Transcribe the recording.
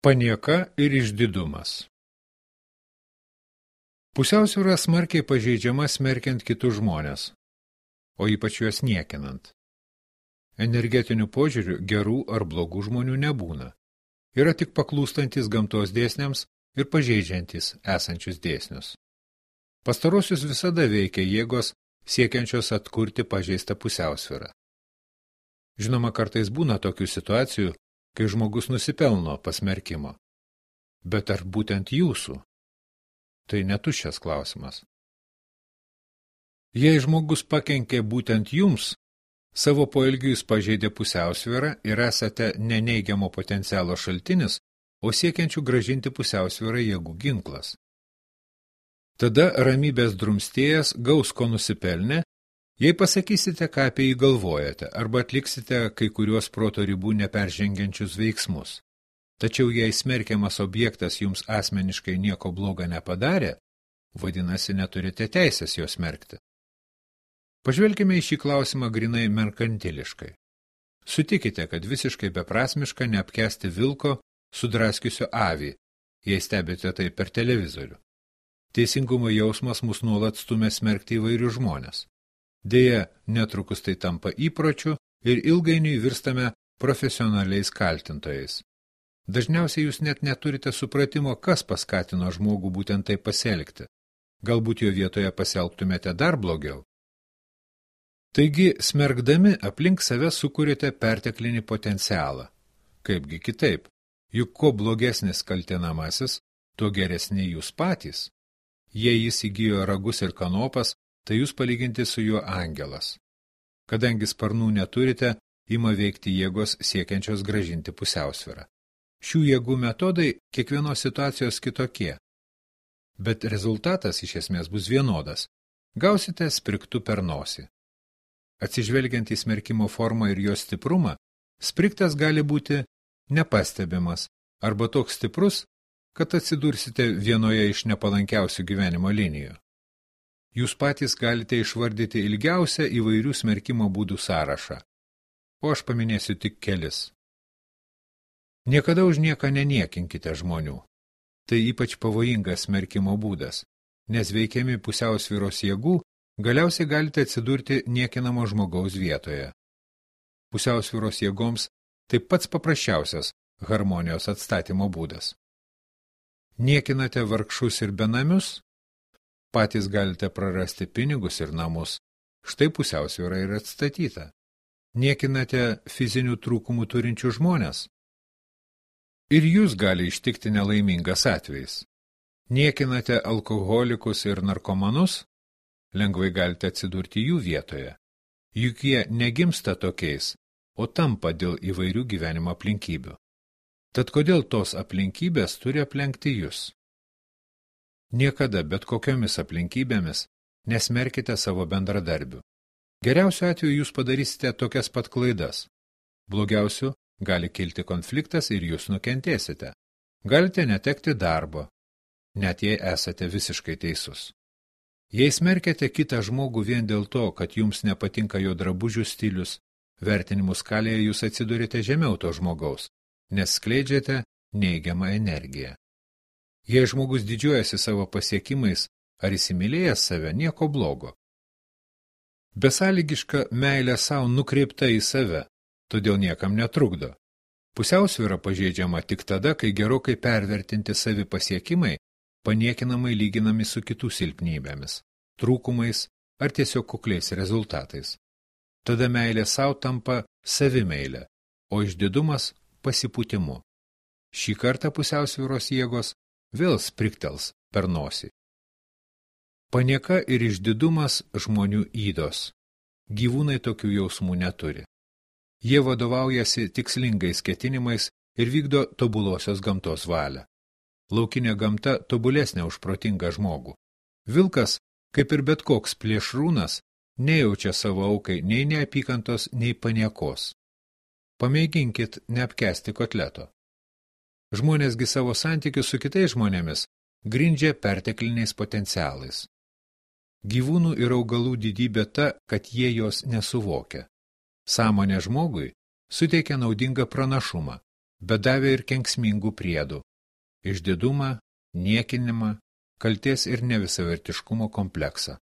Panieka ir išdidumas. Pusiausvyra smarkiai pažeidžiama smerkiant kitus žmones, o ypač juos niekinant. Energetiniu požiūriu gerų ar blogų žmonių nebūna. Yra tik paklūstantis gamtos dėsniams ir pažeidžiantis esančius dėsnius. Pastarosius visada veikia jėgos siekiančios atkurti pažeistą pusiausvyrą. Žinoma, kartais būna tokių situacijų, kai žmogus nusipelno pasmerkimo. Bet ar būtent jūsų? Tai netuščias klausimas. Jei žmogus pakenkė būtent jums, savo poelgiu jis pažeidė pusiausvyrą ir esate ne neigiamo potencialo šaltinis, o siekiančių grąžinti pusiausvyrą jėgų ginklas. Tada ramybės drumstėjas gaus ko nusipelnė, jei pasakysite, ką apie jį galvojate, arba atliksite kai kuriuos proto ribų neperžengiančius veiksmus. Tačiau jei smerkiamas objektas jums asmeniškai nieko bloga nepadarė, vadinasi, neturite teisės jo smerkti. Pažvelkime į šį klausimą grinai merkantiliškai. Sutikite, kad visiškai beprasmiška neapkęsti vilko sudraskiusio avį, jei stebite tai per televizorių. Teisingumo jausmas mus nuolat stumia smerkti įvairius žmones. Deja, netrukus tai tampa įpročiu ir ilgainiui virstame profesionaliais kaltintojais. Dažniausiai jūs net neturite supratimo, kas paskatino žmogų būtent taip pasielgti. Galbūt jo vietoje pasielgtumėte dar blogiau. Taigi, smerkdami aplink save sukūrėte perteklinį potencialą. Kaipgi kitaip, juk kuo blogesnis kaltinamasis, tuo geresni jūs patys. Jei jis įgijo ragus ir kanopas, tai jūs palyginti su juo angelas. Kadangi sparnų neturite, ima veikti jėgos siekiančios gražinti pusiausvyrą. Šių jėgų metodai kiekvienos situacijos kitokie, bet rezultatas iš esmės bus vienodas. Gausite sprigtu per nosį. Atsižvelgiant į smerkimo formą ir jos stiprumą, sprigtas gali būti nepastebimas arba toks stiprus, kad atsidursite vienoje iš nepalankiausių gyvenimo linijų. Jūs patys galite išvardyti ilgiausią įvairių smerkimo būdų sąrašą, o aš paminėsiu tik kelis. Niekada už nieką neniekinkite žmonių. Tai ypač pavojingas smerkimo būdas, nes veikiami pusiausvyros jėgų galiausiai galite atsidurti niekinamo žmogaus vietoje. Pusiausvyros jėgoms tai pats paprasčiausias harmonijos atstatymo būdas. Niekinate vargšus ir benamius? Patys galite prarasti pinigus ir namus. Štai pusiausvyra ir atstatyta. Niekinate fizinių trūkumų turinčių žmonės? Ir jūs gali ištikti nelaimingas atvejis. Niekinate alkoholikus ir narkomanus? Lengvai galite atsidurti jų vietoje. Juk jie negimsta tokiais, o tampa dėl įvairių gyvenimo aplinkybių. Tad kodėl tos aplinkybės turi aplenkti jūs? Niekada, bet kokiomis aplinkybėmis, nesmerkite savo bendradarbių. Geriausiu atveju jūs padarysite tokias pat klaidas. Blogiausiu gali kilti konfliktas ir jūs nukentėsite. Galite netekti darbo, net jei esate visiškai teisus. Jei smerkiate kitą žmogų vien dėl to, kad jums nepatinka jo drabužių stilius, vertinimų skalėje jūs atsidurite žemiau to žmogaus, nes skleidžiate neigiamą energiją. Jei žmogus didžiuojasi savo pasiekimais ar įsimylėjęs save, nieko blogo. Besąlygiška meilė savo nukreipta į save, todėl niekam netrukdo. Pusiausvyra pažeidžiama tik tada, kai gerokai pervertinti savi pasiekimai paniekinamai lyginami su kitų silpnybėmis, trūkumais ar tiesiog kukliais rezultatais. Tada meilė savo tampa savimeilė, o išdidumas pasipūtimu. Šį kartą pusiausvyros jėgos vėl spriktels per nosį. Panieka ir išdidumas žmonių ydos. Gyvūnai tokių jausmų neturi. Jie vadovaujasi tikslingais ketinimais ir vykdo tobulosios gamtos valią. Laukinė gamta tobulesnė už protingą žmogų. Vilkas, kaip ir bet koks plėšrūnas, nejaučia savo aukai nei neapykantos, nei paniekos. Pamėginkit neapkęsti kotleto. Žmonėsgi savo santykius su kitais žmonėmis grindžia pertekliniais potencialais. Gyvūnų ir augalų didybė ta, kad jie jos nesuvokia. Sąmonė žmogui suteikia naudingą pranašumą, bet davė ir kenksmingų priedų – išdidumą, niekinimą, kaltės ir nevisavertiškumo kompleksą.